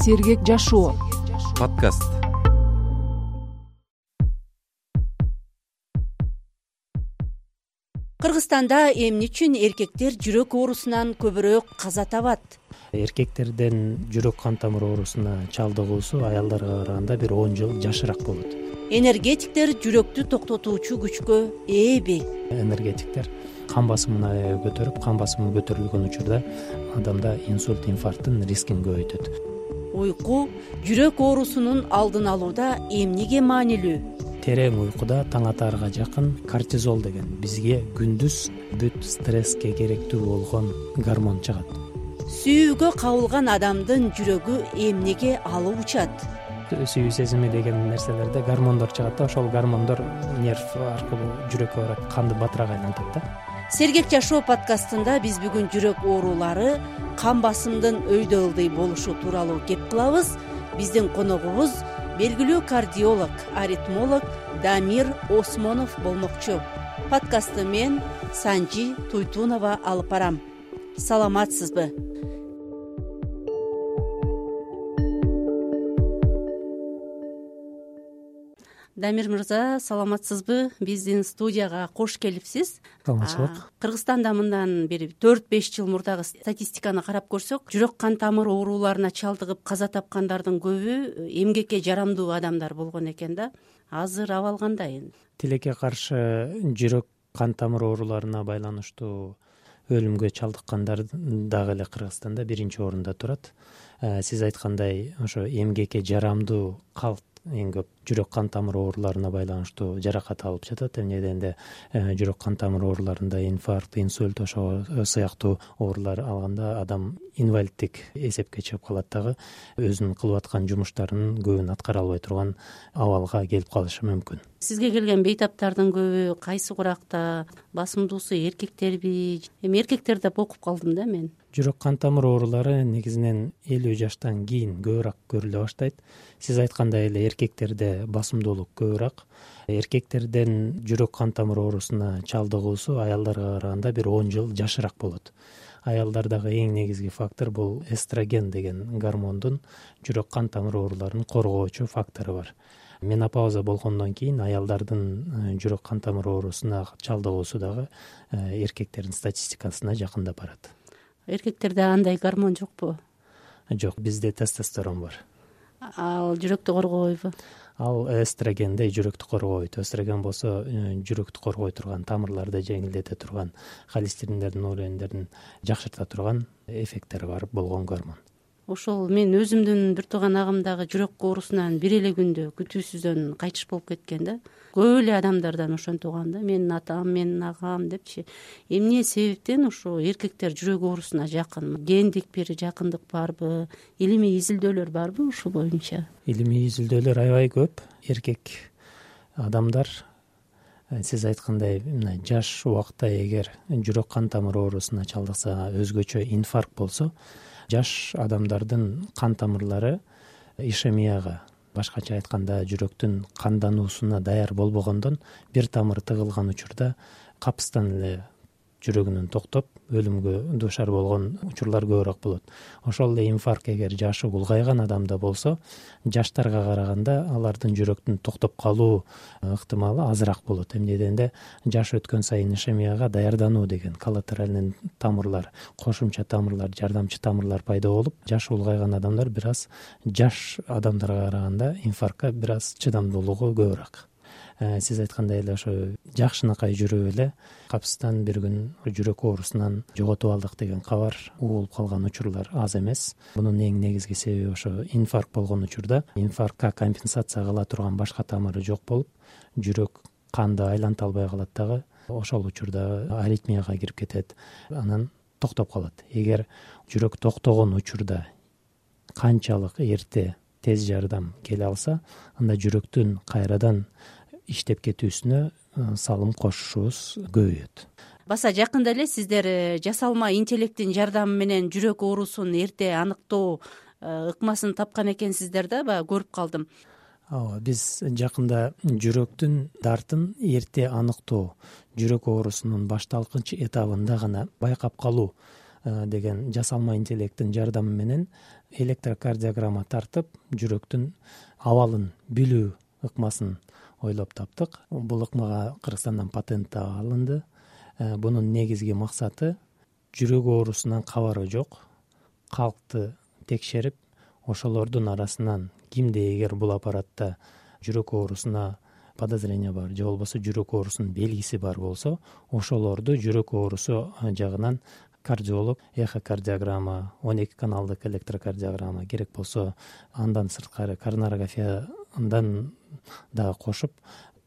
Сергек жашоо подкаст. Кыргызстанда эмне үчүн эркектер жүрөк оорусунан көбүрөөк каза табат? Эркектерден жүрөк кан тамыр оорусуна чалдыгуусу аялдарга караганда бир 10 жыл жашыраак болот. Энергетиктер жүрөктү токтотуучу күчкө ээби? Энергетиктер кан басымын аябай көтөрүп, кан басымы көтөрүлгөн учурда адамда инсульт, инфаркттын рискин көбөйтөт. Уйку жүрөк оорусунун алдын алууда эмнеге маанилүү? Терең уйкуда таң атаарга жакын кортизол деген бизге күндүз бүт стресске керектүү болгон гормон чыгат. Сүйүүгө кабылган адамдын жүрөгү эмнеге алып учат? Сүйүү сезими деген нерселерде гормондор чыгат да, ошол гормондор нерв аркылуу жүрөккө барат, канды батыраак айлантат да. Сергек жашоо подкастында биз бүгүн жүрөк оорулары, кан басымдын өйдө ылдый болушу тууралуу кеп кылабыз. Биздин коногубуз белгилүү кардиолог, аритмолог Дамир Осмонов болмокчу. Подкастты мен Санжи Туйтунова алып барам. Саламатсызбы? Дамир мырза, саламатсызбы? Биздин студияга кош келипсиз. Саламатчылык. Кыргызстанда мындан бери 4-5 жыл мурдагы статистиканы карап көрсөк, жүрөк кан тамыр ооруларына чалдыгып каза тапкандардын көбү эмгекке жарамдуу адамдар болгон экен да. Азыр абал кандай? Тилекке каршы жүрөк кан тамыр ооруларына байланыштуу өлүмгө чалдыккандар дагы эле Кыргызстанда биринчи орунда турат. Сиз айткандай, ошо эмгекке жарамдуу калк эң көп жүрөк кан тамыр ооруларына байланыштуу жаракат алып жатат. Эмне дегенде жүрөк кан тамыр ооруларында инфаркт, инсульт, ошо сыяктуу оорулар алганда адам инвалидтик эсепке чыгып калат дагы, өзүнүн кылып аткан жумуштарынын көбүн аткара албай турган абалга келип калышы мүмкүн. Сизге келген бейтаптардын көбү кайсы куракта, басымдуусу эркектерби? Эми эркектерди деп окуп калдым да мен. Жүрөк кан тамыр оорулары негизинен 50 жаштан кийин көбүрөөк көрүлө баштайт. Сиз айткандай эле эркектерде басымдуулук көбүрөөк. Эркектерден жүрөк кан тамыр оорусуна чалдыгуусу аялдарга караганда бир 10 жыл жашыраак болот. Аялдардагы эң негизги фактор бул эстроген деген гормондун жүрөк кан тамыр ооруларын коргоочу фактору бар. Менопауза болгондон кийин аялдардын жүрөк кан тамыр оорусуна чалдыгуусу дагы эркектердин статистикасына жакындап барат. Эркектерде андай гормон жокпу? Жок, бизде тестостерон бар. Ал жүрөктү коргобойбу? Ал эстрогендей жүрөктү коргойт. Эстроген болсо жүрөктү коргой турган, тамырларды жеңилдете турган, холестериндердин уровендерин жакшырта турган эффекттери бар болгон гормон. Ошол мен өзүмдүн бир тууган агымдагы жүрөк оорусунан бир эле күндө күтүүсүздөн кайтыш болуп кеткен да. Көп эле адамдардан ошентип угам да, менин атам, менин агам депчи. Эмне себептен ошо эркектер жүрөк оорусуна жакын? Гендик бир жакындык барбы? Илимий изилдөөлөр барбы ушул боюнча? Илимий изилдөөлөр аябай көп. Эркек адамдар, сиз айткандай, мына жаш убакта эгер жүрөк кан тамыр оорусуна чалдыкса, өзгөчө инфаркт болсо, жаш адамдардын кан тамырлары ишемияга, башкача айтканда жүрөктүн кандануусуна даяр болбогондон бир тамыры тыгылган учурда капыстан эле жүрөгүнүн токтоп өлүмгө дуушар болгон учурлар көбүрөөк болот. Ошол эле инфаркт эгер жашы улгайган адамда болсо, жаштарга караганда алардын жүрөктүн токтоп калуу ыктымалы азыраак болот. Эмне дегенде жаш өткөн сайын ишемияга даярдануу деген коллатеральный тамырлар, кошумча тамырлар, жардамчы тамырлар пайда болуп, жашы улгайган адамдар бир аз жаш адамдарга караганда инфарктка бир аз чыдамдуулугу көбүрөөк. Сиз айткандай эле ошо жакшынакай жүрүп эле капыстан бир күн жүрөк оорусунан жоготуп алдык деген кабар угулуп калган учурлар аз эмес. Мунун эң негизги себеби ошо инфаркт болгон учурда инфарктка компенсация кыла турган башка тамыры жок болуп, жүрөк канды айланта албай калат дагы. Ошол учурда аритмияга кирип кетет, анан токтоп калат. Эгер жүрөк токтогон учурда канчалык эрте тез жардам келе алса, анда жүрөктүн кайрадан иштеп кетүүсүнө салым кошушубуз көбөйөт. Баса жакында эле сиздер жасалма интеллекттин жардамы менен жүрөк оорусун эрте аныктоо ыкмасын тапкан экенсиздер да, баягы көрүп калдым. Ооба, биз жакында жүрөктүн дартын эрте аныктоо, жүрөк оорусунун башталгыч этабында гана байкап калуу деген жасалма интеллекттин жардамы менен электрокардиограмма тартып жүрөктүн абалын билүү ыкмасын ойлоп таптык. Бул ыкмага Кыргызстандан патент алынды. Бунун негизги максаты жүрөк оорусунан кабары жок калкты текшерип, ошолордун арасынан кимде эгер бул аппаратта жүрөк оорусуна подозрение бар же болбосо жүрөк оорусунун белгиси бар болсо, ошолорду жүрөк оорусу жагынан кардиолог эхокардиограмма, 12 каналдык электрокардиограмма, керек болсо андан сырткары коронарографиядан да кошуп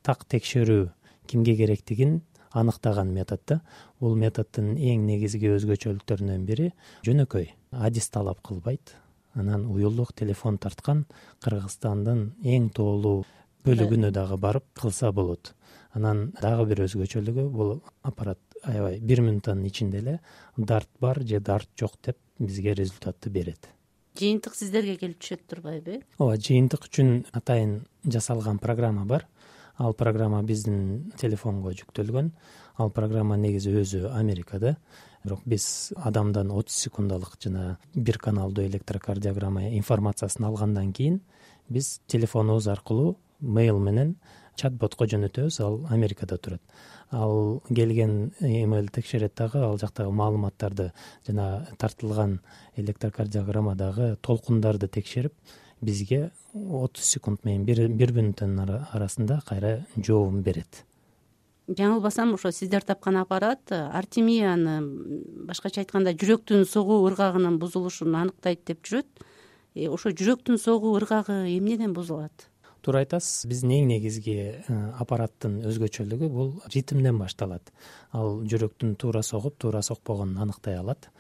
так текшерүү кимге керектигин аныктаган метод да. Бул методдун эң негизги өзгөчөлүктөрүнүн бири жөнөкөй, адис талап кылбайт. Анан уюлдук телефон тарткан Кыргызстандын эң тоолуу бөлүгүнө дагы барып кылса болот. Анан дагы бир өзгөчөлүгү, бул аппарат аябай 1 минуттун ичинде эле дарт бар же дарт жок деп бизге результатты берет. Жыйынтык сиздерге келип түшөт турбайбы? Ооба, жыйынтык үчүн атайын жасалган программа бар. Ал программа биздин телефонго жүктөлгөн. Ал программа негизи өзү Америкада, бирок биз адамдан 30 секундалык жана 1 каналдуу электрокардиограмма информациясын алгандан кийин биз телефонубуз аркылуу мейл менен чат-ботко жөнөтөбүз. Ал Америкада турат. Ал келген эмейл текшерет дагы, ал жактагы маалыматтарды жана тартылган электрокардиограммадагы толкундарды текшерип, бизге 30 секунд менен 1 минуттун арасында кайра жообун берет. Жаңылбасам, ошо сиздер тапкан аппарат артемияны, башкача айтканда жүрөктүн согуу ыргагынын бузулушун аныктайт деп жүрөт. Ошо жүрөктүн согуу ыргагы эмнеден бузулат? Туура айтасыз. Биздин эң негизги аппараттын өзгөчөлүгү бул ритмден башталат. Ал жүрөктүн туура согуп, туура сокпогонун аныктай алат.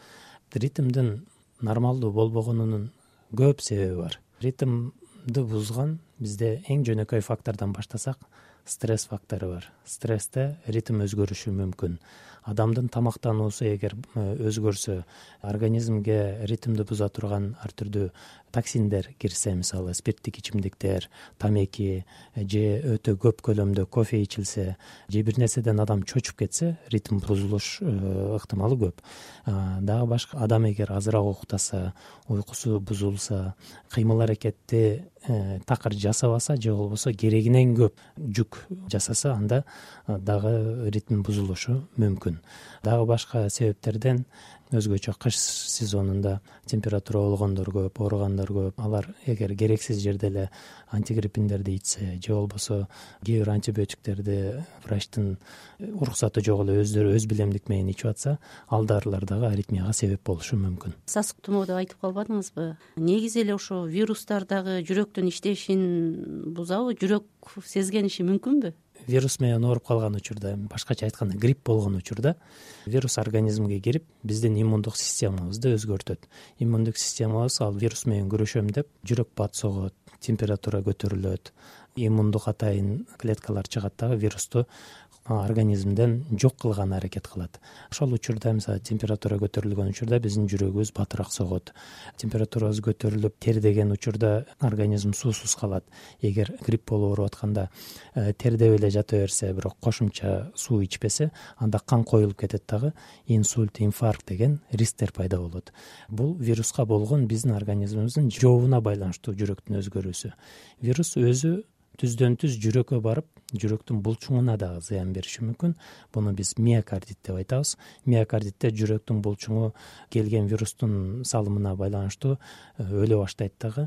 Ритмдин нормалдуу болбогонунун көп себеби бар. Ритмди бузган бизде эң жөнөкөй фактордон баштасак, стресс фактору бар. Стрессте ритм өзгөрүшү мүмкүн. Адамдын тамактануусу эгер өзгөрсө, организмге ритмди буза турган ар түрдүү токсиндер кирсе, мисалы спирттик ичимдиктер, тамеки же өтө көп көлөмдө кофе ичилсе, же бир нерседен адам чочуп кетсе, ритм бузулуш ыктымалы көп. Дагы башка адам эгер азыраак уктаса, уйкусу бузулса, кыймыл аракетти такыр жасабаса же болбосо керегинен көп жүк жасаса, анда дагы ритм бузулушу мүмкүн. Дагы башка себептерден өзгөчө кыш сезонунда температура болгондор көп, ооругандар көп. Алар эгер керексиз жерде эле антигриппиндерди ичсе же болбосо кээ бир антибиотиктерди врачтын уруксаты жок эле өздөрү өз билемдик менен ичип атса, ал дарылар дагы аритмияга себеп болушу мүмкүн. Сасык тумоо деп айтып калбадыңызбы? Негизи эле ошо вирустар дагы жүрөктүн иштешин бузабы? Жүрөк сезгениши мүмкүнбү? Вирус менен ооруп калган учурда, башкача айтканда грипп болгон учурда, вирус организмге кирип, биздин иммундук системабызды өзгөртөт. Иммундук системабыз ал вирус менен күрөшөм деп жүрөк бат согот, температура көтөрүлөт, иммундук атайын клеткалар чыгат дагы вирусту организмден жок кылган аракет кылат. Ошол учурда, мисалы, температура көтөрүлгөн учурда биздин жүрөгүбүз батыраак согот. Температурабыз көтөрүлүп, тердеген учурда организм суусуз калат. Эгер грипп болуп ооруп атканда тердеп эле жата берсе, бирок кошумча суу ичпесе, анда кан коюлуп кетет дагы, инсульт, инфаркт деген рисктер пайда болот. Бул вируска болгон биздин организмибиздин жообуна байланыштуу жүрөктүн өзгөрүүсү. Вирус өзү түздөн түз жүрөккө барып, жүрөктүн булчуңуна дагы зыян бериши мүмкүн. Буну биз миокардит деп айтабыз. Миокардитте жүрөктүн булчуңу келген вирустун салымына байланыштуу өлө баштайт дагы.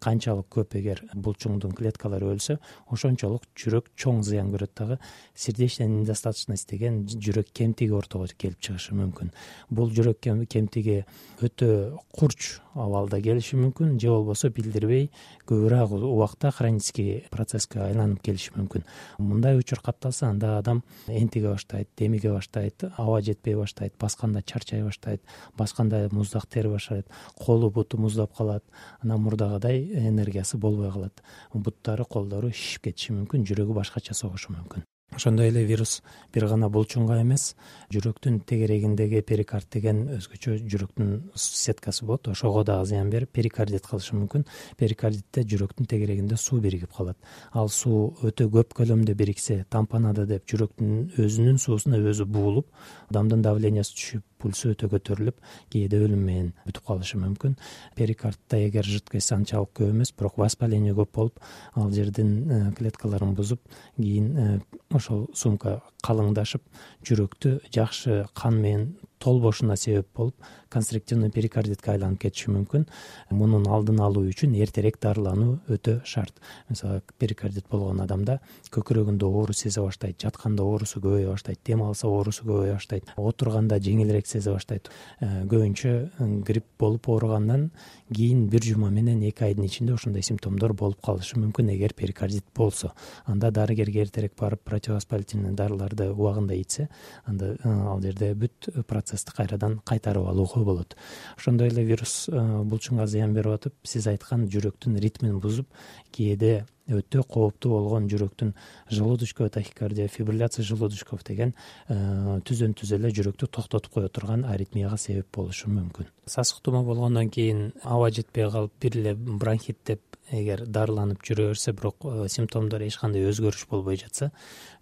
Канчалык көп эгер булчуңдун клеткалары өлсө, ошончолук жүрөк чоң зыян көрөт дагы. Сердечная недостаточность деген жүрөк кемтиги ортого келип чыгышы мүмкүн. Бул жүрөк кемтиги өтө курч абалда келиши мүмкүн, же болбосо билдирбей көбүрөөк убакта хронический процесске айланып келиши мүмкүн. Мындай учур катталса, анда адам энтиге баштайт, демиге баштайт, аба жетпей баштайт, басканда чарчай баштайт, басканда муздак тери баштайт, колу буту муздап калат, анан мурдагыдай энергиясы болбой калат. Буттары, колдору шишип кетиши мүмкүн, жүрөгү башкача согушу мүмкүн. Ошондой эле вирус бир гана булчуңга эмес, жүрөктүн тегерегиндеги перикард деген өзгөчө жүрөктүн сеткасы болот. Ошого дагы зыян берип, перикардит кылышы мүмкүн. Перикардитте жүрөктүн тегерегинде суу биригип калат. Ал суу өтө көп көлөмдө бириксе, тампонада деп жүрөктүн өзүнүн суусуна өзү буулуп, адамдын давлениясы түшүп, пульсу өтө көтөрүлүп кээде өлүм менен бүтүп калышы мүмкүн. Перикардта эгер жидкость анчалык көп эмес, бирок воспаление көп болуп, ал жердин клеткаларын бузуп, кийин ошол сумка калыңдашып, жүрөктү жакшы кан менен толбошуна себеп болуп, констриктивный перикардитке айланып кетиши мүмкүн. Мунун алдын алуу үчүн эртерээк дарылануу өтө шарт. Мисалы, перикардит болгон адамда көкүрөгүндө оору сезе баштайт, жатканда оорусу көбөйө баштайт, дем алса оорусу көбөйө баштайт, отурганда жеңилирээк сезе баштайт. Көбүнчө грипп болуп ооругандан кийин 1 жума менен 2 айдын ичинде ушундай симптомдор болуп калышы мүмкүн эгер перикардит болсо. Анда дарыгерге эртерээк барып, противовоспалительный дарыларды убагында ичсе, анда ал жерде бүт процессти кайрадан кайтарып алууга болот. Ошондой эле вирус булчуңга зыян берип атып, сиз айткан жүрөктүн ритмин бузуп, кээде өтө кооптуу болгон жүрөктүн желудочковая тахикардия, фибрилляция желудочков деген түзөн-түз эле жүрөктү токтотуп кое турган аритмияга себеп болушу мүмкүн. Сасык тумоо болгондон кийин аба жетпей калып, бир эле бронхит деп эгер дарыланып жүрө берсе, бирок симптомдор эч кандай өзгөрүш болбой жатса,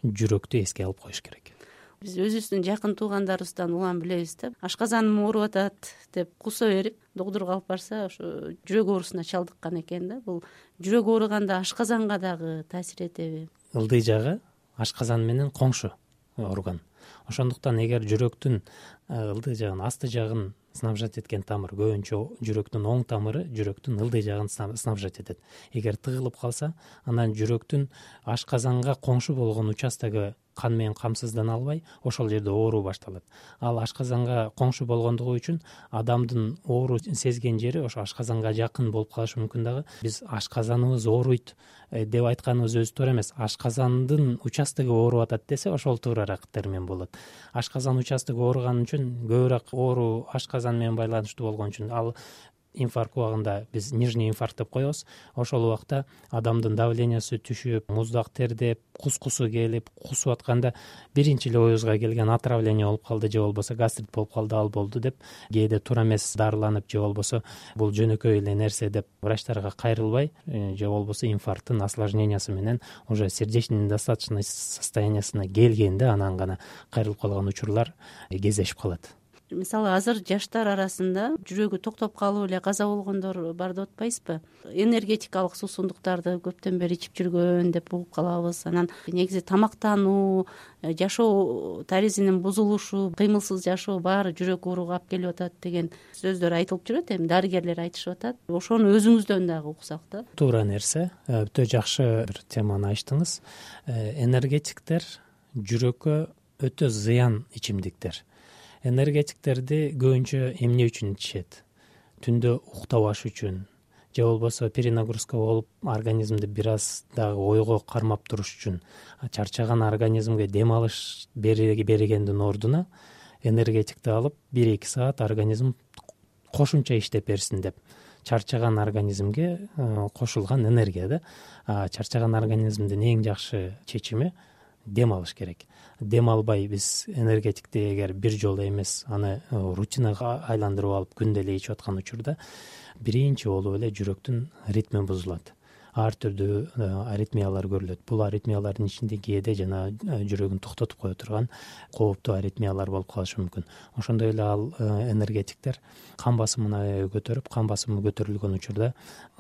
жүрөктү эске алып коюш керек. Биз өзүбүздүн жакын туугандарыбыздан улам билебиз да, ашказаным ооруп атат деп кусо берип, доктурга алып барса, ошо жүрөк оорусуна чалдыккан экен да. Бул жүрөк ооруганда ашказанга дагы таасир этеби? Ылдый жагы ашказан менен коңшу орган. Ошондуктан эгер жүрөктүн ылдый жагын, асты жагын снабжать эткен тамыр, көбүнчө жүрөктүн оң тамыры жүрөктүн ылдый жагын снабжать этет. Эгер тыгылып калса, анан жүрөктүн ашказанга коңшу болгон участогу кан менен камсыздана албай, ошол жерде ооруу башталат. Ал ашказанга коңшу болгондугу үчүн адамдын оору сезген жери ошо ашказанга жакын болуп калышы мүмкүн дагы. Биз ашказаныбыз ооруйт деп айтканыбыз өзү туура эмес. Ашказандын участогу ооруп атат десе, ошол туурараак термин болот. Ашказан участогу ооруган үчүн, көбүрөөк оору ашказан менен байланыштуу болгон үчүн, ал инфаркт убагында биз нижний инфаркт деп коебуз. Ошол убакта адамдын давлениясы түшүп, муздак тердеп, кускусу келип, кусуп атканда биринчи эле оюбузга келген отравление болуп калды же болбосо гастрит болуп калды, ал болду деп кээде туура эмес дарыланып, же болбосо бул жөнөкөй эле нерсе деп врачтарга кайрылбай, же болбосо инфаркттын осложнениясы менен уже сердечный недостаточность состояниясына келгенде анан гана кайрылып калган учурлар кездешип калат. Мисалы, азыр жаштар арасында жүрөгү токтоп калып эле каза болгондор бар деп атпайсызбы? Энергетикалык суусундуктарды көптөн бери ичип жүргөн деп угуп калабыз. Анан негизи тамактануу, жашоо тарзинин бузулушу, кыймылсыз жашоо баары жүрөк ооруга алып келип атат деген сөздөр айтылып жүрөт, эми дарыгерлер айтышып атат. Ошону өзүңүздөн дагы уксак да. Туура нерсе, өтө жакшы бир теманы ачтыңыз. Энергетиктер жүрөккө өтө зыян ичимдиктер. Энергетиктерди көбүнчө эмне үчүн ичишет? Түндө уктабаш үчүн, же болбосо перенагрузка болуп, организмди бир аз дагы ойго кармап туруш үчүн. Чарчаган организмге дем алыш бергендин ордуна энергетикти алып 1-2 саат организм кошумча иштеп берсин деп. Чарчаган организмге кошулган энергия да. Чарчаган организмдин эң жакшы чечими дем алыш керек. Дем албай биз энергетикти эгер бир жолу эмес, аны рутинага айландырып алып күндө эле ичип аткан учурда биринчи болуп эле жүрөктүн ритми бузулат. Ар түрдүү аритмиялар көрүлөт. Бул аритмиялардын ичинде кээде жана жүрөгүн токтотуп кое турган кооптуу аритмиялар болуп калышы мүмкүн. Ошондой эле ал энергетиктер кан басымын аябай көтөрүп, кан басымы көтөрүлгөн учурда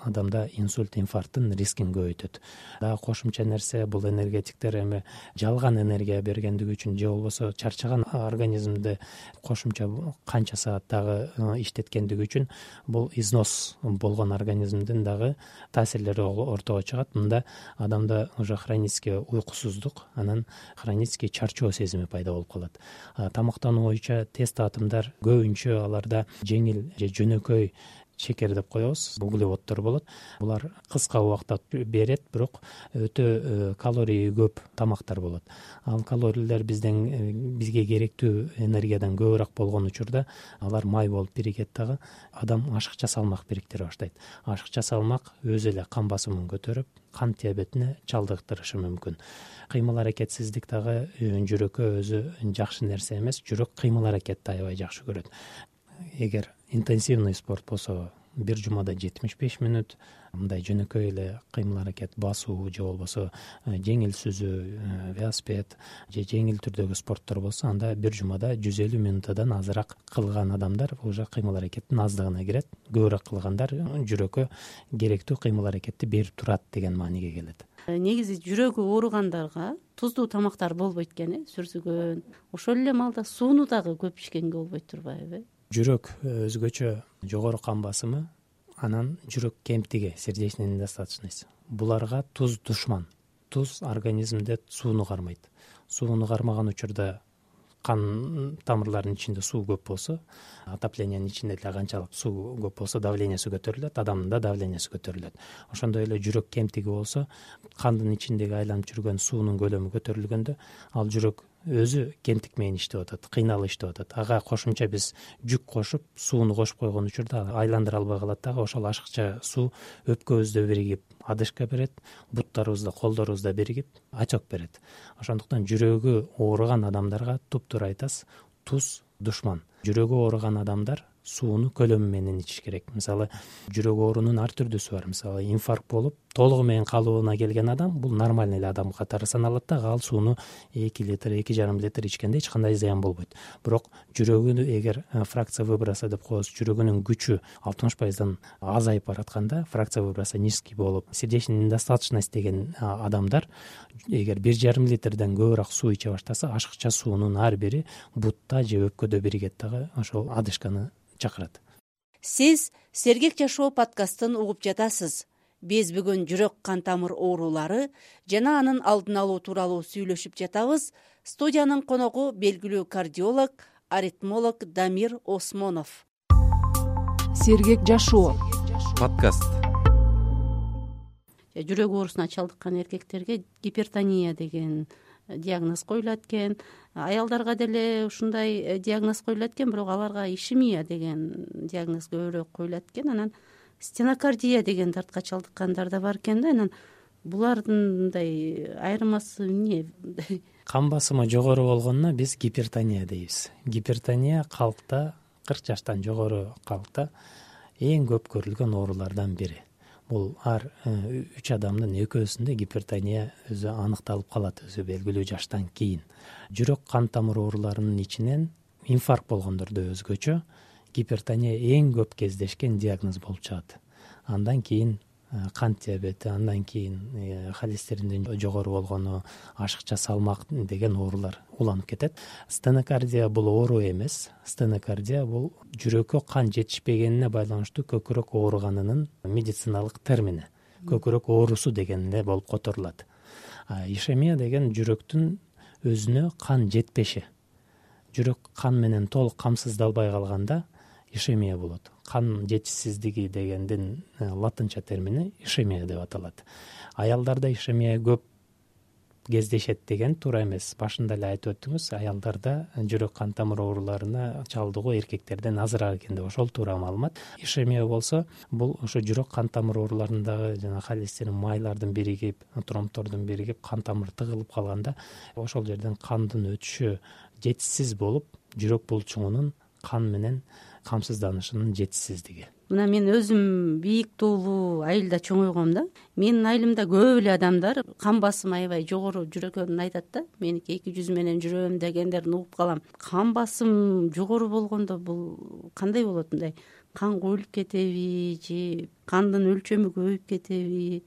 адамда инсульт, инфаркттын рискин көбөйтөт. Дагы кошумча нерсе, бул энергетиктер эми жалган энергия бергендиги үчүн, же болбосо чарчаган организмди кошумча канча саат дагы иштеткендиги үчүн бул износ болгон организмдин дагы таасирлери ортого чыгат. Мында адамда уже хронический уйкусуздук, анан хронический чарчоо сезими пайда болуп калат. Тамактануу боюнча тест атомдар көбүнчө аларда жеңил же жөнөкөй шекер деп коебуз, углеводдор болот. Булар кыска убакта берет, бирок өтө калории көп тамактар болот. Ал калорийлер бизге керектүү энергиядан көбүрөөк болгон учурда алар май болуп биригет дагы, адам ашыкча салмак бириктире баштайт. Ашыкча салмак өзү эле кан басымын көтөрүп, кант диабетине чалдыктырышы мүмкүн. Кыймыл аракетсиздик дагы жүрөккө өзү жакшы нерсе эмес. Жүрөк кыймыл аракетти аябай жакшы көрөт. Эгер интенсивный спорт болсо, бир жумада 75 мүнөт мындай жөнөкөй эле кыймыл аракет басуу же болбосо жеңил сүзүү, велосипед же жеңил түрдөгү спорттор болсо анда бир жумада 150 мүнөттөн азыраак кылган адамдар уже кыймыл аракеттин аздыгына кирет. Көбүрөөк кылгандар жүрөккө керектүү кыймыл аракетти берип турат деген мааниге келет. Негизи жүрөгү ооругандарга туздуу тамактар болбойт экен, сүрсүгөн. Ошол эле маалда сууну дагы көп ичкенге болбойт турбайбы? Жүрөк өзгөчө жогору кан басымы, анан жүрөк кемтиги, сердечная недостаточность. Буларга туз душман. Туз организмде сууну кармайт. Сууну кармаган учурда кан тамырларынын ичинде суу көп болсо, отоплениянын ичинде деле канчалык суу көп болсо давлениясы көтөрүлөт, адамдын да давлениясы көтөрүлөт. Ошондой эле жүрөк кемтиги болсо, кандын ичиндеги айланып жүргөн суунун көлөмү көтөрүлгөндө, ал жүрөк өзү кемтик менен иштеп атат, кыйналып иштеп атат. Ага кошумча биз жүк кошуп, сууну кошуп койгон учурда айландыра албай калат дагы. Ошол ашыкча суу өпкөбүздө биригип одышка берет, буттарыбызда, колдорубузда биригип отек берет. Ошондуктан жүрөгү ооруган адамдарга туптуура айтасыз, туз душман. Жүрөгү ооруган адамдар сууну көлөмү менен ичиш керек. Мисалы, жүрөк оорунун ар түрдүүсү бар. Мисалы, инфаркт болуп, толугу менен калыбына келген адам бул нормальный эле адам катары саналат да, ал сууну 2 литр, 2,5 литр ичкенде эч кандай зыян болбойт. Бирок жүрөгүнү эгер фракция выброса деп коебуз, жүрөгүнүн күчү 60%дан азайып баратканда, фракция выброса низкий болуп, сердечная недостаточность деген адамдар эгер 1,5 литрден көбүрөөк суу иче баштаса, ашыкча суунун ар бири бутта же өпкөдө биригет дагы, ошол одышканы чакырат. Сиз Сергек жашоо подкастын угуп жатасыз. Биз бүгүн жүрөк кан тамыр оорулары жана анын алдын алуу тууралуу сүйлөшүп жатабыз. Студиянын коногу белгилүү кардиолог, аритмолог Дамир Осмонов. Сергек жашоо подкаст. Жүрөк оорусуна чалдыккан эркектерге гипертония деген диагноз коюлат экен. Аялдарга деле ушундай диагноз коюлат экен, бирок аларга ишемия деген диагноз көбүрөөк коюлат экен. Анан стенокардия деген дартка чалдыккандар да бар экен да. Анан булардын мындай айырмасы эмне? Кан басымы жогору болгонуна биз гипертония дейбиз. Гипертония калкта 40 жаштан жогору калкта эң көп көрүлгөн оорулардан бири. Бул ар 3 адамдын экөөсүндө гипертония өзү аныкталып калат, өзү белгилүү жаштан кийин. Жүрөк кан тамыр ооруларынын ичинен инфаркт болгондордо өзгөчө гипертония эң көп кездешкен диагноз болуп чыгат. Андан кийин кант диабети, андан кийин холестериндин жогору болгону, ашыкча салмак деген оорулар уланып кетет. Стенокардия бул оору эмес. Стенокардия бул жүрөккө кан жетишпегенине байланыштуу көкүрөк ооруганынын медициналык термини. Көкүрөк оорусу деген эле болуп которулат. Ишемия деген жүрөктүн өзүнө кан жетпеши. Жүрөк кан менен толук камсыздалбай калганда ишемия болот. Кан жетишсиздиги дегендин латынча термини ишемия деп аталат. Аялдарда ишемия көп кездешет деген туура эмес. Башында эле айтып өттүңүз, аялдарда жүрөк кан тамыр ооруларына чалдыгуу эркектерден азыраак экен деп, ошол туура маалымат. Ишемия болсо, бул ошо жүрөк кан тамыр ооруларындагы жана холестерин майлардын биригип, тромбтордун биригип, кан тамыр тыгылып калганда, ошол жерден кандын өтүшү жетишсиз болуп, жүрөк булчуңунун кан менен камсызданышынын жетишсиздиги. Мына мен өзүм бийик туулуу айылда чоңойгом да. Менин айылымда көп эле адамдар кан басымы аябай жогору жүрөгөнүн айтат да. Меники 200 менен жүрөм дегендерин угуп калам. Кан басым жогору болгондо бул кандай болот? Мындай кан коюлуп кетеби же кандын өлчөмү көбөйүп кетеби?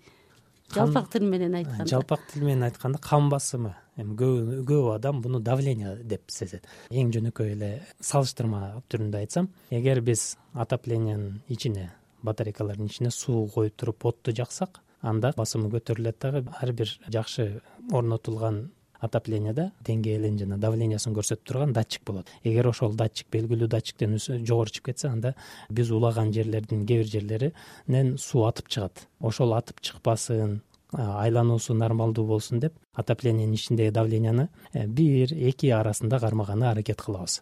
Жалпак тил менен айтканда. Жалпак тил менен айтканда кан басымы. Эми көп адам буну давление деп сезет. Эң жөнөкөй эле салыштырма түрүндө айтсам, эгер биз отоплениянын ичине, батарейкалардын ичине суу коюп туруп отту жаксак, анда басымы көтөрүлөт дагы. Ар бир жакшы орнотулган отопленияда деңгээлин жана давлениясын көрсөтүп турган датчик болот. Эгер ошол датчик белгилүү датчиктен жогору чыгып кетсе, анда биз улаган жерлердин кээ бир жерлеринен суу атып чыгат. Ошол атып чыкпасын, айлануусу нормалдуу болсун деп отоплениянын ичиндеги давленияны 1-2 арасында кармаганга аракет кылабыз.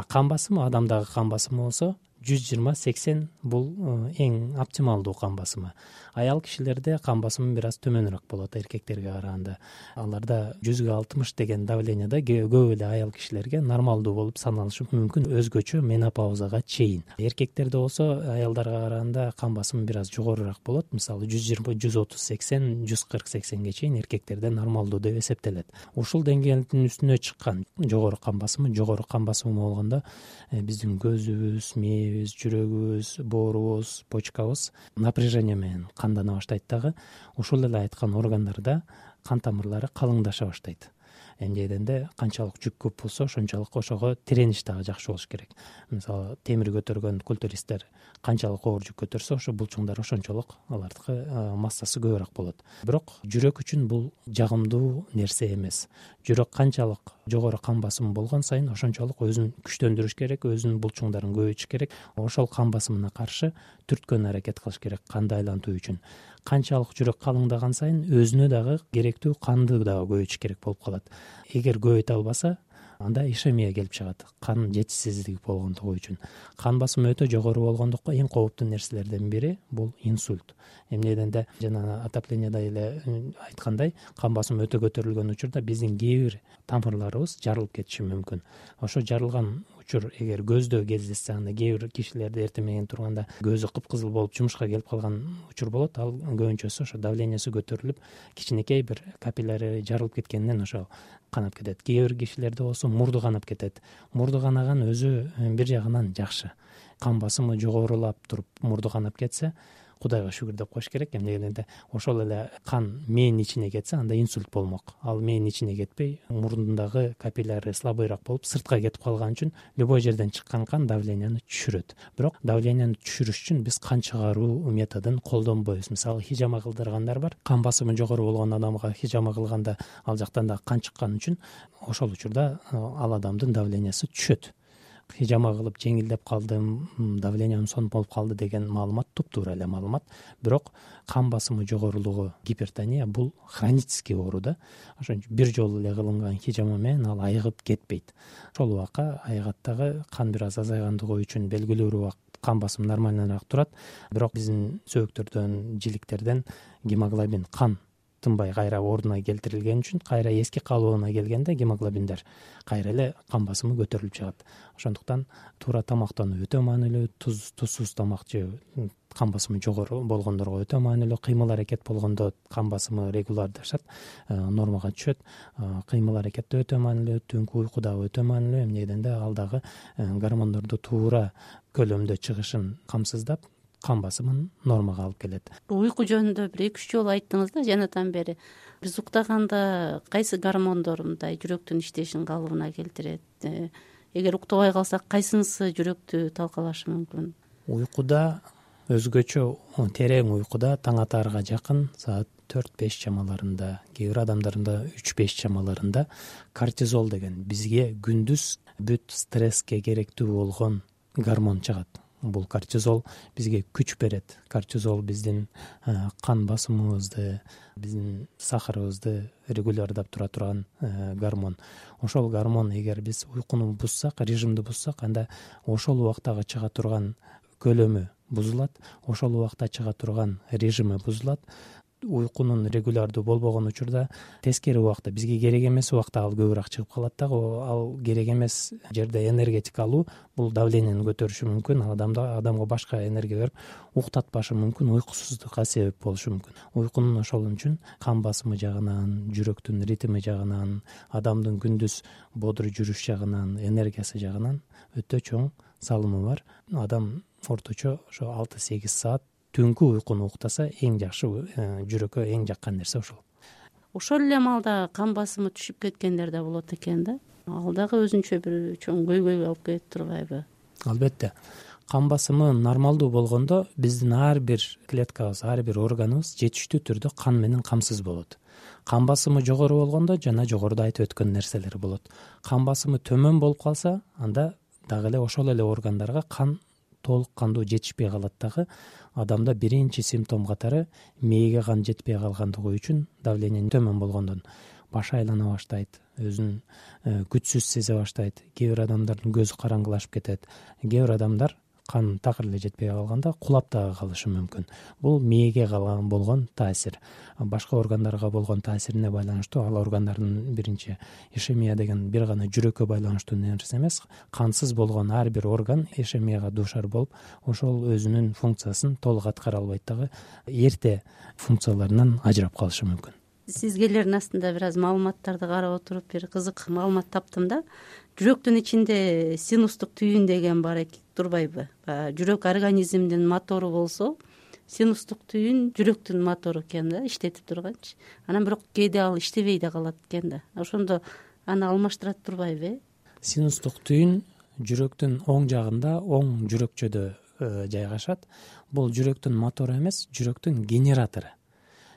Кан басымы, адамдагы кан басымы болсо, 120-80 бул эң оптималдуу кан басымы. Аял кишилерде кан басымы бир аз төмөнүрөөк болот эркектерге караганда. Аларда 160 деген давлениеда көп эле аял кишилерге нормалдуу болуп саналышы мүмкүн, өзгөчө менопаузага чейин. Эркектерде болсо аялдарга караганда кан басымы бир аз жогорураак болот. Мисалы 120-130-80, 140-80ге чейин эркектерде нормалдуу деп эсептелет. Ушул деңгээлдин үстүнө чыккан жогору кан басымы болгондо биздин көзүбүз, мээбиз, жүрөгүбүз, боорубуз, почкабыз напряжение менен кандана баштайт дагы. Ушул эле айткан органдарда кан тамырлары калыңдаша баштайт. Эмне дегенде канчалык жүк көп болсо ошончолук ошого тиреніш дагы жакшы болуш керек. Мисалы темир көтөргөн культуристтер канчалык оор жүк көтөрсө ошо булчуңдар ошончолук алардыкы массасы көбүрөөк болот. Бирок жүрөк үчүн бул жагымдуу нерсе эмес. Жүрөк канчалык жогору кан басымы болгон сайын ошончолук өзүн күчтөндүрүш керек, өзүнүн булчуңдарын көбөйтүш керек. Ошол кан басымына каршы түрткөн аракет кылыш керек канды айлантуу үчүн. Канчалык жүрөк калыңдаган сайын өзүнө дагы керектүү канды дагы көбөйтүш керек болуп калат. Эгер көбөйтө албаса, анда ишемия келип чыгат. Кан жетишсиздиги болгондугу үчүн. Кан басымы өтө жогору болгондуктан эң кооптуу нерселерден бири бул инсульт. Эмне дегенде жана отоплениеда эле айткандай, кан басымы өтө көтөрүлгөн учурда биздин кээ бир тамырларыбыз жарылып кетиши мүмкүн. Ошо жарылган учур эгер көздө кездешсе, анда кээ бир кишилерде эртең менен турганда көзү кыпкызыл болуп жумушка келип калган учур болот. Ал көбүнчөсү ошо давлениеси көтөрүлүп, кичинекей бир капилляри жарылып кеткенинен ошо канап кетет. Кээ бир кишилерде болсо мурду канап кетет. Мурду канаган өзү бир жагынан жакшы. Кан басымы жогорулап туруп мурду канап кетсе, Кудайга шүгүр деп коюш керек. Эмне дегенде ошол эле кан мээнин ичине кетсе, анда инсульт болмок. Ал мээнин ичине кетпей, мурдундагы капилляри слабыйраак болуп, сыртка кетип калган үчүн любой жерден чыккан кан давленияны түшүрөт. Бирок давленияны түшүрүш үчүн биз кан чыгаруу методун колдонбойбуз. Мисалы, хижама кылдыргандар бар. Кан басымы жогору болгон адамга хижама кылганда ал жактан да кан чыккан үчүн ошол учурда ал адамдын давлениясы түшөт. Хижама кылып жеңилдеп калдым, давлениям сонун болуп калды деген маалымат туптуура эле маалымат. Бирок кан басымы жогорулугу, гипертония бул хронический оору да. Ошон үчүн бир жолу эле кылынган хижама менен ал айыгып кетпейт. Ошол убакка айыгаттагы кан бир аз азайгандыгы үчүн белгилүү убакыт кан басым нормальныраак турат. Бирок биздин сөөктөрдөн, жиликтерден гемоглобин, кан тынбай кайра ордуна келтирилген үчүн кайра эски калыбына келгенде гемоглобиндер кайра эле кан басымы көтөрүлүп чыгат. Ошондуктан туура тамактануу өтө маанилүү, тузсуз тамак жөө кан басымы жогору болгондорго өтө маанилүү. Кыймыл аракет болгондо кан басымы регулярдашат, нормага түшөт. Кыймыл аракет да өтө маанилүү, түнкү уйку дагы өтө маанилүү. Эмне дегенде ал дагы гормондорду туура көлөмдө чыгышын камсыздап, кан басымын нормага алып келет. Уйку жөнүндө бир 2-3 жолу айттыңыз да жанатан бери. Биз уктаганда кайсы гормондор мындай жүрөктүн иштешин калыбына келтирет? Эгер уктабай калсак, кайсынысы жүрөктү талкалашы мүмкүн? Уйкуда өзгөчө, терең уйкуда таң атаарга жакын саат 4-5 чамаларында, кээ бир адамдарда 3-5 чамаларында кортизол деген бизге күндүз бүт стресске керектүү болгон гормон чыгат. Бул кортизол бизге күч берет. Кортизол биздин кан басымыбызды, биздин сахарыбызды регулярдап тура турган гормон. Ошол гормон эгер биз уйкуну бузсак, режимди бузсак, анда ошол убактагы чыга турган көлөмү бузулат, ошол убакта чыга турган режими бузулат. Уйкунун регулярдуу болбогон учурда тескери убакта, бизге керек эмес убакта ал көбүрөөк чыгып калат дагы. Ал керек эмес жерде энергетика алуу бул давленияны көтөрүшү мүмкүн, адамга башка энергия берип уктатпашы мүмкүн, уйкусуздукка себеп болушу мүмкүн. Уйкунун ошол үчүн кан басымы жагынан, жүрөктүн ритми жагынан, адамдын күндүз бодур жүрүш жагынан, энергиясы жагынан өтө чоң салымы бар. Адам орточо ошо 6-8 саат түнкү уйкуну уктаса эң жакшы, жүрөккө эң жаккан нерсе ошол. Ошол эле маалда кан басымы түшүп кеткендер да болот экен да. Ал дагы өзүнчө бир чоң көйгөйгө алып келип турбайбы? Албетте. Кан басымы нормалдуу болгондо биздин ар бир клеткабыз, ар бир органыбыз жетиштүү түрдө кан менен камсыз болот. Кан басымы жогору болгондо жана жогоруда айтып өткөн нерселер болот. Кан басымы төмөн болуп калса, анда дагы эле ошол эле органдарга кан толук кандуу жетишпей калат дагы. Адамда биринчи симптом катары мээге кан жетпей калгандыгы үчүн давление төмөн болгондон башы айлана баштайт, өзүн күчсүз сезе баштайт. Кээ бир адамдардын көзү караңгылашып кетет. Кээ бир адамдар кан такыр эле жетпей калганда кулап дагы калышы мүмкүн. Бул мээге болгон таасир. Башка органдарга болгон таасирине байланыштуу. Ал органдардын биринчи ишемия деген бир гана жүрөккө байланыштуу нерсе эмес. Кансыз болгон ар бир орган ишемияга дуушар болуп, ошол өзүнүн функциясын толук аткара албайт дагы, эрте функцияларынан ажырап калышы мүмкүн. Сизгелердин астында бир аз маалыматтарды карап отуруп бир кызык маалымат таптым да. Жүрөктүн ичинде синустук түйүн деген бар турбайбы? Жүрөк организмдин мотору болсо, синустук түйүн жүрөктүн мотору экен да, иштетип турганчы. Анан бирок кээде ал иштебей да калат экен да. Ошондо аны алмаштырат турбайбы? Синустук түйүн жүрөктүн оң жагында, оң жүрөкчөдө жайгашат. Бул жүрөктүн мотору эмес, жүрөктүн генератору.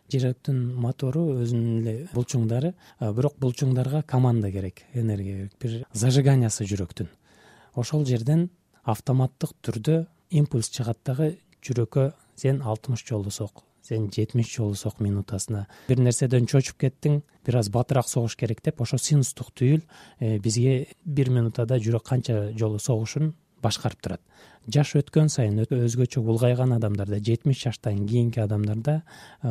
Жүрөктүн мотору өзүнүн эле булчуңдары, бирок булчуңдарга команда керек, энергия керек, бир зажиганиясы жүрөктүн. Ошол жерден автоматтык түрдө импульс чыгат дагы, жүрөккө сен 60 жолу сок, сен 70 жолу сок минутасына. Бир нерседен чочуп кеттиң, бир аз батыраак согуш керек деп, ошо синустук түйүл бизге 1 минутада жүрөк канча жолу согушун башкарып турат. Жаш өткөн сайын өзгөчө улгайган адамдарда, 70 жаштан кийинки адамдарда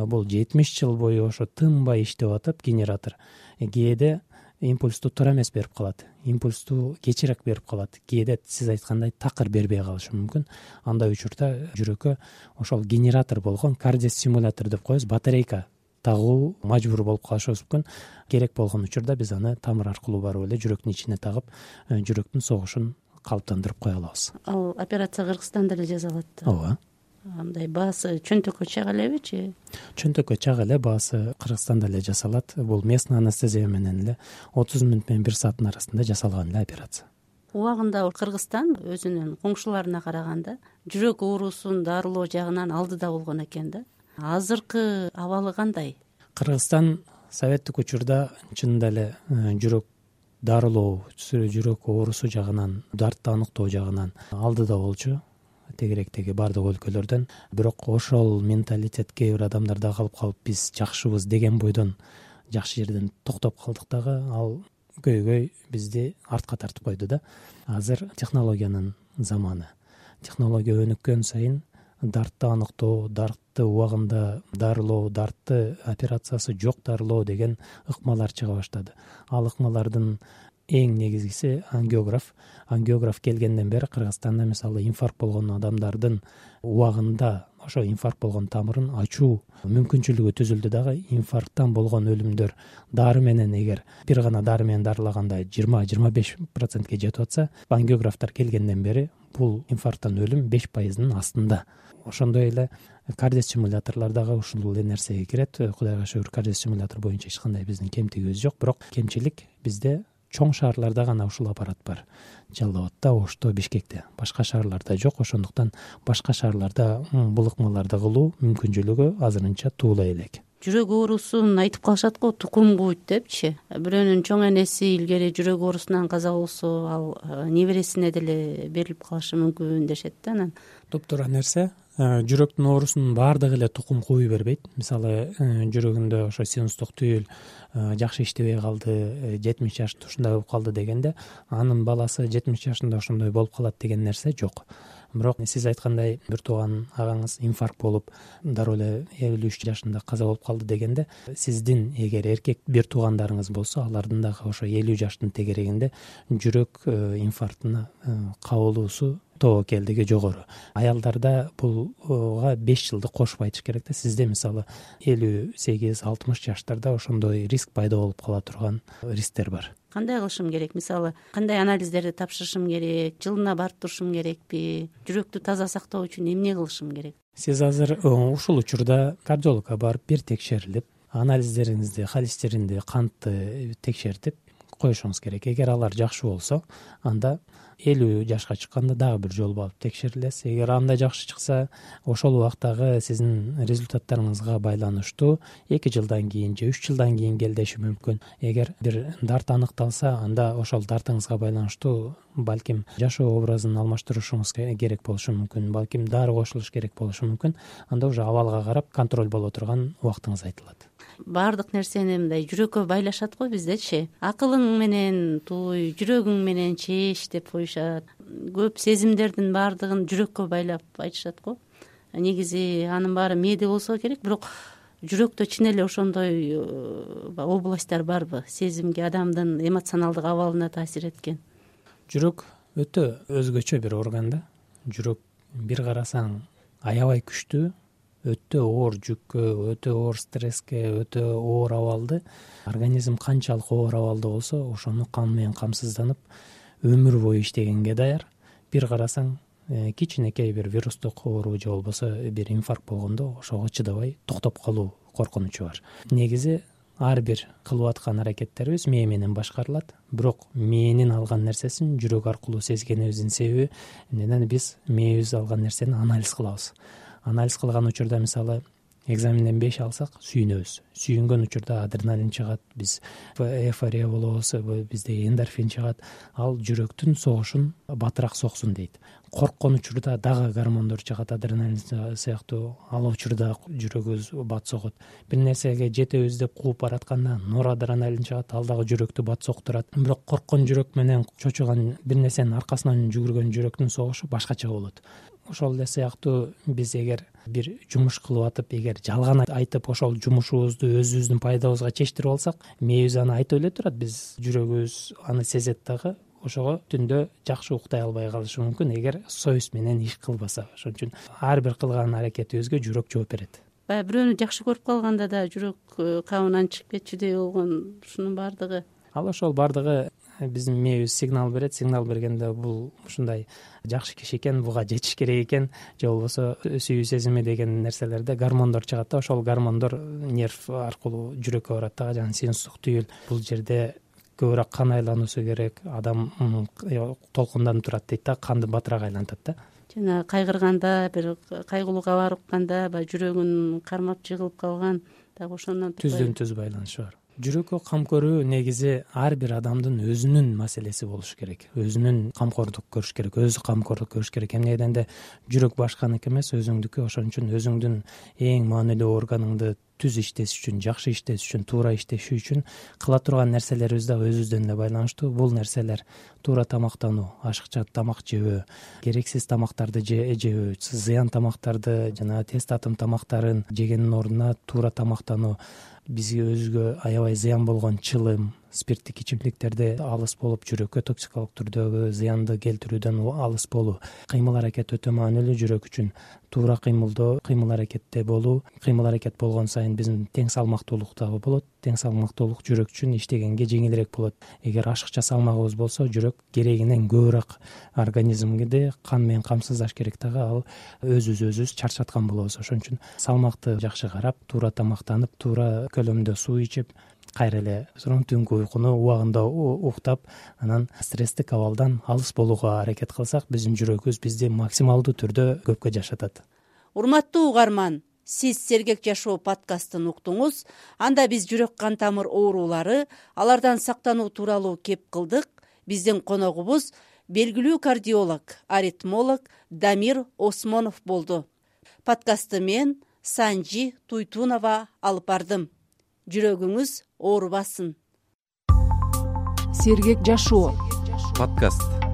бул 70 жыл бою ошо тынбай иштеп атып генератор кээде импульсту туура эмес берип калат, импульсту кечирээк берип калат, кээде сиз айткандай такыр бербей калышы мүмкүн. Андай учурда жүрөккө ошол генератор болгон кардиостимулятор деп коебуз, батарейка тагуу мажбур болуп калышыбыз мүмкүн. Керек болгон учурда биз аны тамыр аркылуу барып эле жүрөктүн ичине тагып, жүрөктүн согушун калыптандырып кое алабыз. Ал операция Кыргызстанда эле жасалат. Ооба. Андай баасы чөнтөккө чыга элебичи? Чөнтөккө чыга эле, баасы Кыргызстанда эле жасалат. Бул местный анестезия менен эле 30 мүнөт менен 1 сааттын арасында жасалган эле операция. Убагында Кыргызстан өзүнүн коңшуларына караганда жүрөк оорусун дарылоо жагынан алдыда болгон экен да. Азыркы абалы кандай? Кыргызстан советтик учурда чынында эле жүрөк дарылоо, жүрөк оорусу жагынан, дартты аныктоо жагынан алдыда болчу, тегеректеги бардык өлкөлөрдөн. Бирок ошол менталитет кээ бир адамдарда калып биз жакшыбыз деген бойдон жакшы жерден токтоп калдык дагы, ал көйгөй бизди артка тартып койду да. Азыр технологиянын заманы. Технология өнүккөн сайын дартты аныктоо, дартты убагында дарылоо, дартты операциясы жок дарылоо деген ыкмалар чыга баштады. Ал ыкмалардын эң негизгиси ангиограф. Ангиограф келгенден бери Кыргызстанда мисалы инфаркт болгон адамдардын убагында ошо инфаркт болгон тамырын ачуу мүмкүнчүлүгү түзүлдү дагы. Инфаркттан болгон өлүмдөр дары менен, эгер бир гана дары менен дарылаганда 20-25%ке жетип атса, ангиографтар келгенден бери бул инфаркттан өлүм 5%-нын астында. Ошондой эле кардиостимуляторлор дагы ушул эле нерсеге кирет. Кудайга шүгүр, кардиостимулятор боюнча эч кандай биздин кемтигибиз жок, бирок кемчилик бизде чоң шаарларда гана ушул аппарат бар. Жалал Абадта, Ошто, Бишкекте. Башка шаарларда жок, ошондуктан башка шаарларда бул ыкмаларды кылуу мүмкүнчүлүгү азырынча туулай элек. Жүрөк оорусун айтып калышат го, тукум куйт депчи. Бирөөнүн чоң энеси илгери жүрөк оорусунан каза болсо, ал небересине деле берилип калышы мүмкүн дешет да. Анан Топтуура нерсе. Жүрөктүн оорусунун баардыгы эле тукум кууй бербейт. Мисалы, жүрөгүндө ошо синустук түйүл жакшы иштебей калды, 70 жашта ушундай болуп калды дегенде, анын баласы 70 жашында ошондой болуп калат деген нерсе жок. Бирок сиз айткандай бир тууган агаңыз инфаркт болуп, дароо эле 53 жашында каза болуп калды дегенде, сиздин эгер эркек бир туугандарыңыз болсо, алардын дагы ошо 50 жаштын тегерегинде жүрөк инфарктына кабылуусу тобокелдиги жогору. Аялдарда булга 5 жылды кошуп айтыш керек да. Сизде мисалы 58-60 жаштарда ошондой риск пайда болуп кала турган рисктер бар. Кандай кылышым керек? Мисалы, кандай анализдерди тапшырышым керек? Жылына барып турушум керекпи? Жүрөктү таза сактоо үчүн эмне кылышым керек? Сиз азыр ушул учурда кардиологко барып бир текшерилип, анализдериңизди, холестеринди, кантты текшертип коюшуңуз керек. Эгер алар жакшы болсо, анда 50 жашка чыкканда дагы бир жолу барып текшерилесиз. Эгер анда жакшы чыкса, ошол убактагы сиздин результаттарыңызга байланыштуу 2 жылдан кийин же 3 жылдан кийин келдеши мүмкүн. Эгер бир дарт аныкталса, анда ошол дартыңызга байланыштуу балким жашоо образын алмаштырышыңыз керек болушу мүмкүн, балким дары кошулуш керек болушу мүмкүн. Анда уже абалга карап контроль боло турган убактыңыз айтылат. баардык нерсени мындай жүрөккө байлашат го биздечи. Акылың менен туй, жүрөгүң менен чееш деп коюшат. Көп сезимдердин баардыгын жүрөккө байлап айтышат го. Негизи анын баары мээде болсо керек, бирок жүрөктө чын эле ошондой областтар барбы, сезимге, адамдын эмоционалдык абалына таасир эткен? Жүрөк өтө өзгөчө бир орган да. Жүрөк бир карасаң аябай күчтүү, өтө оор жүккө, өтө оор стресске, өтө оор абалды, организм канчалык оор абалда болсо ошону кан менен камсызданып өмүр бою иштегенге даяр. Бир карасаң кичинекей бир вирустук оору же болбосо бир инфаркт болгондо ошого чыдабай токтоп калуу коркунучу бар. Негизи ар бир кылып аткан аракеттерибиз мээ менен башкарылат, бирок мээнин алган нерсесин жүрөк аркылуу сезгенибиздин себеби эмнеден биз мээбиз алган нерсени анализ кылабыз. Анализ кылган учурда мисалы экзаменден 5 алсак сүйүнөбүз. Сүйүнгөн учурда адреналин чыгат, биз эйфория болобуз, бизде эндорфин чыгат. Ал жүрөктүн согушун батыраак соксун дейт. Корккон учурда дагы гормондор чыгат, адреналин сыяктуу. Ал учурда жүрөгүбүз бат согот. Бир нерсеге жетебиз деп кууп баратканда норадреналин чыгат, ал дагы жүрөктү бат соктурат. Бирок корккон жүрөк менен чочуган бир нерсенин аркасынан жүгүргөн жүрөктүн согушу башкача болот. Ошол эле сыяктуу биз эгер бир жумуш кылып атып, эгер жалган айтып ошол жумушубузду өзүбүздүн пайдабызга чечтирип алсак, мээбиз аны айтып эле турат, биз жүрөгүбүз аны сезет дагы. Ошого түндө жакшы уктай албай калышы мүмкүн эгер совесть менен иш кылбаса. Ошон үчүн ар бир кылган аракетибизге жүрөк жооп берет. Баягы бирөөнү жакшы көрүп калганда да жүрөк кабынан чыгып кетчүдөй болгон, ушунун баардыгы. Ал ошол баардыгы биздин мээбиз сигнал берет. Сигнал бергенде бул ушундай жакшы киши экен, буга жетиш керек экен, же болбосо сүйүү сезими деген нерселерде гормондор чыгат да, ошол гормондор нерв аркылуу жүрөккө барат да, жана синустук түйүл. Бул жерде көбүрөөк кан айлануусу керек, адам толкунданып турат дейт да, канды батыраак айлантат да. Жана кайгырганда, бир кайгылуу кабар укканда, баягы жүрөгүн кармап жыгылып калган, дагы ошондон түздөн түз байланышы бар. Жүрөккө кам көрүү негизи ар бир адамдын өзүнүн маселеси болуш керек. Өзүнүн камкордук көрүш керек, өзү камкордук көрүш керек. Эмне дегенде жүрөк башканыкы эмес, өзүңдүкү. Ошон үчүн өзүңдүн эң маанилүү органыңды түз иштеш үчүн, жакшы иштеш үчүн, туура иштеши үчүн кыла турган нерселерибиз да өзүбүздөн эле байланыштуу. Бул нерселер туура тамактануу, ашыкча тамак жебөө, керексиз тамактарды жебөө, зыян тамактарды жана тез татым тамактарын жегендин ордуна туура тамактануу, бизге өзгө аябай зыян болгон чылым, спирттик ичимдиктерди алыс болуп, жүрөккө токсикалык түрдөгү зыянды келтирүүдөн алыс болуу. Кыймыл аракет өтө маанилүү жүрөк үчүн. Туура кыймылдоо, кыймыл аракетте болуу. Кыймыл аракет болгон сайын биздин тең салмактуулук дагы болот. Тең салмактуулук жүрөк үчүн иштегенге жеңилирээк болот. Эгер ашыкча салмагыбыз болсо, жүрөк керегинен көбүрөөк организмди кан менен камсыздаш керек дагы, ал өзүбүз чарчаткан болобуз. Ошон үчүн салмакты жакшы карап, туура тамактанып, туура көлөмдө суу ичип, кайра эле түнкү уйкуну убагында уктап, анан стресстик абалдан алыс болууга аракет кылсак, биздин жүрөгүбүз бизди максималдуу түрдө көпкө жашатат. Урматтуу угарман, сиз Сергек жашоо подкастын уктуңуз. Анда биз жүрөк кан тамыр оорулары, алардан сактануу тууралуу кеп кылдык. Биздин коногубуз белгилүү кардиолог, аритмолог Дамир Осмонов болду. Подкастты мен Санжи Туйтунова алып бардым. Жүрөгүңүз оорубасын. Сергек жашоо подкаст.